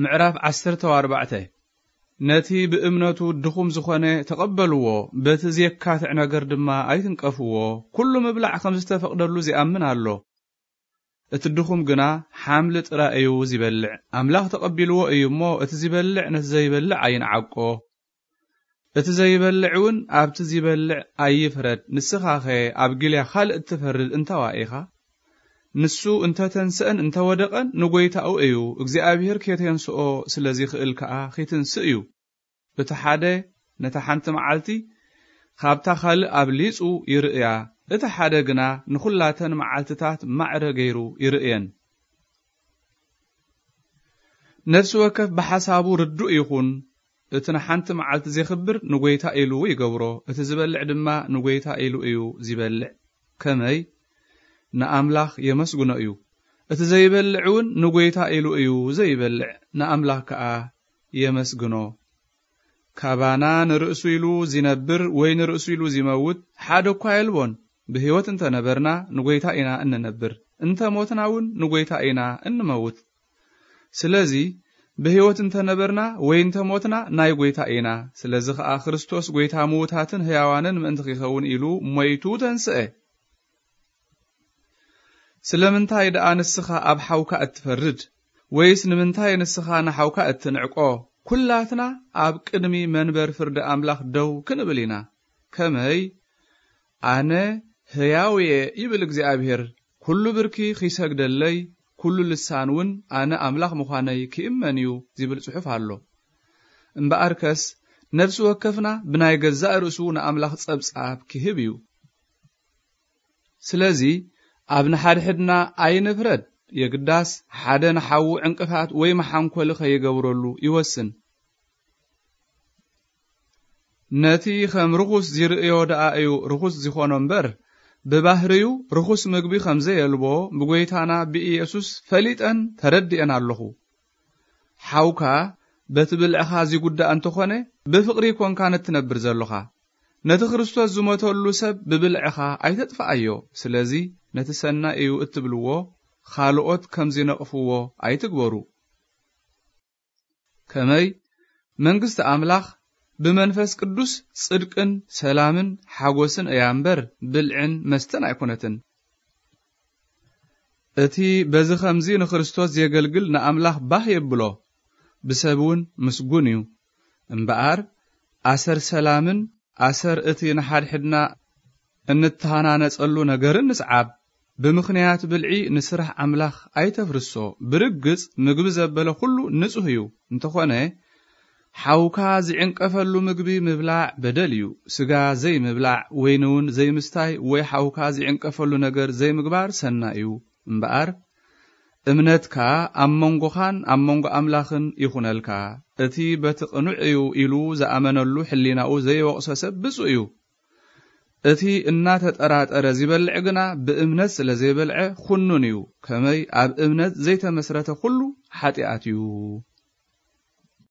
ምዕራፍ ዓሰርተ ኣርባዕተ። ነቲ ብእምነቱ ድኹም ዝኾነ ተቐበልዎ፣ በቲ ዜካትዕ ነገር ድማ ኣይትንቀፍዎ። ኩሉ ምብላዕ ከም ዝተፈቕደሉ ዚኣምን ኣሎ። እቲ ድኹም ግና ሓምሊ ጥራይ እዩ ዚበልዕ። ኣምላኽ ተቐቢልዎ እዩ እሞ፣ እቲ ዚበልዕ ነቲ ዘይበልዕ ኣይንዓቆ። እቲ ዘይበልዕ እውን ኣብቲ ዚበልዕ ኣይፍረድ። ንስኻኸ ኣብ ጊልያ ኻልእ እትፈርድ እንታዋ ኢኻ? ንሱ እንተ ተንስአን እንተ ወደቐን ንጐይታኡ እዩ፣ እግዚኣብሄር ኬተንስኦ ስለ ዚኽእል ከኣ ኺትንስእ እዩ። እቲ ሓደ ነታ ሓንቲ መዓልቲ ኻብታ ኻልእ ኣብሊጹ ይርእያ፣ እቲ ሓደ ግና ንኹላተን መዓልትታት ማዕረ ገይሩ ይርእየን። ነፍሲ ወከፍ ብሓሳቡ ርዱእ ይኹን፣ እቲ ንሓንቲ መዓልቲ ዜኽብር ንጐይታ ኢሉ ይገብሮ፣ እቲ ዝበልዕ ድማ ንጐይታ ኢሉ እዩ ዚበልዕ። ከመይ? ንኣምላኽ የመስግኖ እዩ። እቲ ዘይበልዕ እውን ንጐይታ ኢሉ እዩ ዘይበልዕ፣ ንኣምላኽ ከኣ የመስግኖ። ካባና ንርእሱ ኢሉ ዚነብር ወይ ንርእሱ ኢሉ ዚመውት ሓደ እኳ የልቦን። ብህይወት እንተ ነበርና ንጐይታ ኢና እንነብር፣ እንተ ሞትና እውን ንጐይታ ኢና እንመውት። ስለዚ ብህይወት እንተ ነበርና ወይ እንተ ሞትና ናይ ጐይታ ኢና። ስለዚ ኸኣ ክርስቶስ ጐይታ ምዉታትን ህያዋንን ምእንቲ ኺኸውን ኢሉ ሞይቱ ተንስአ። ስለምንታይ ደኣ ንስኻ ኣብ ሓውካ እትፈርድ? ወይስ ንምንታይ ንስኻ ንሓውካ እትንዕቆ? ኵላትና ኣብ ቅድሚ መንበር ፍርዲ ኣምላኽ ደው ክንብል ኢና። ከመይ? ኣነ ህያው እየ ይብል እግዚኣብሄር። ኩሉ ብርኪ ኺሰግደለይ፣ ኩሉ ልሳን እውን ኣነ ኣምላኽ ምዃነይ ኪእመን እዩ ዚብል ጽሑፍ ኣሎ። እምበኣርከስ ነፍሲ ወከፍና ብናይ ገዛእ ርእሱ ንኣምላኽ ጸብጻብ ኪህብ እዩ። ስለዚ ኣብ ንሓድሕድና ኣይንፍረድ። የግዳስ ሓደ ንሓዉ ዕንቅፋት ወይ መሓንኮሊ ኸይገብረሉ ይወስን። ነቲ ኸም ርኹስ ዚርእዮ ደኣ እዩ ርኹስ ዚኾኖ እምበር፣ ብባህርዩ ርኹስ ምግቢ ኸም ዘየልቦ ብጐይታና ብኢየሱስ ፈሊጠን ተረዲኤን ኣለኹ። ሓውካ በቲ ብልዕኻ ዚጉዳእ እንተኾነ፣ ብፍቕሪ ኰንካን እትነብር ዘሎኻ። ነቲ ክርስቶስ ዝሞተሉ ሰብ ብብልዕኻ ኣይተጥፍኣዮ። ስለዚ ነቲ ሰናይ እዩ እትብልዎ፣ ኻልኦት ከም ዚነቕፍዎ ኣይትግበሩ። ከመይ? መንግስቲ ኣምላኽ ብመንፈስ ቅዱስ ጽድቅን ሰላምን ሓጎስን እያ እምበር፣ ብልዕን መስተን ኣይኮነትን። እቲ በዚ ኸምዚ ንክርስቶስ ዜገልግል ንኣምላኽ ባህ የብሎ፣ ብሰብ እውን ምስጉን እዩ። እምበኣር ኣሰር ሰላምን ኣሰር እቲ ንሓድሕድና እንተሃናነጸሉ ነገርን ንስዓብ። ብምኽንያት ብልዒ ንስራሕ ኣምላኽ ኣይተፍርሶ። ብርግጽ ምግቢ ዘበለ ኹሉ ንጹህ እዩ። እንተኾነ ሓውካ ዝዕንቀፈሉ ምግቢ ምብላዕ በደል እዩ። ስጋ ዘይምብላዕ፣ ወይኒ እውን ዘይምስታይ፣ ወይ ሓውካ ዝዕንቀፈሉ ነገር ዘይምግባር ሰናይ እዩ። እምበኣር እምነትካ ኣብ መንጎኻን ኣብ መንጎ ኣምላኽን ይኹነልካ። እቲ በቲ ቅኑዕ እዩ ኢሉ ዝኣመነሉ ሕሊናኡ ዘይወቕሶ ሰብ ብፁዕ እዩ። እቲ እናተጠራጠረ ዚበልዕ ግና ብእምነት ስለ ዘይበልዐ ኹኑን እዩ። ከመይ ኣብ እምነት ዘይተመስረተ ኹሉ ሓጢኣት እዩ።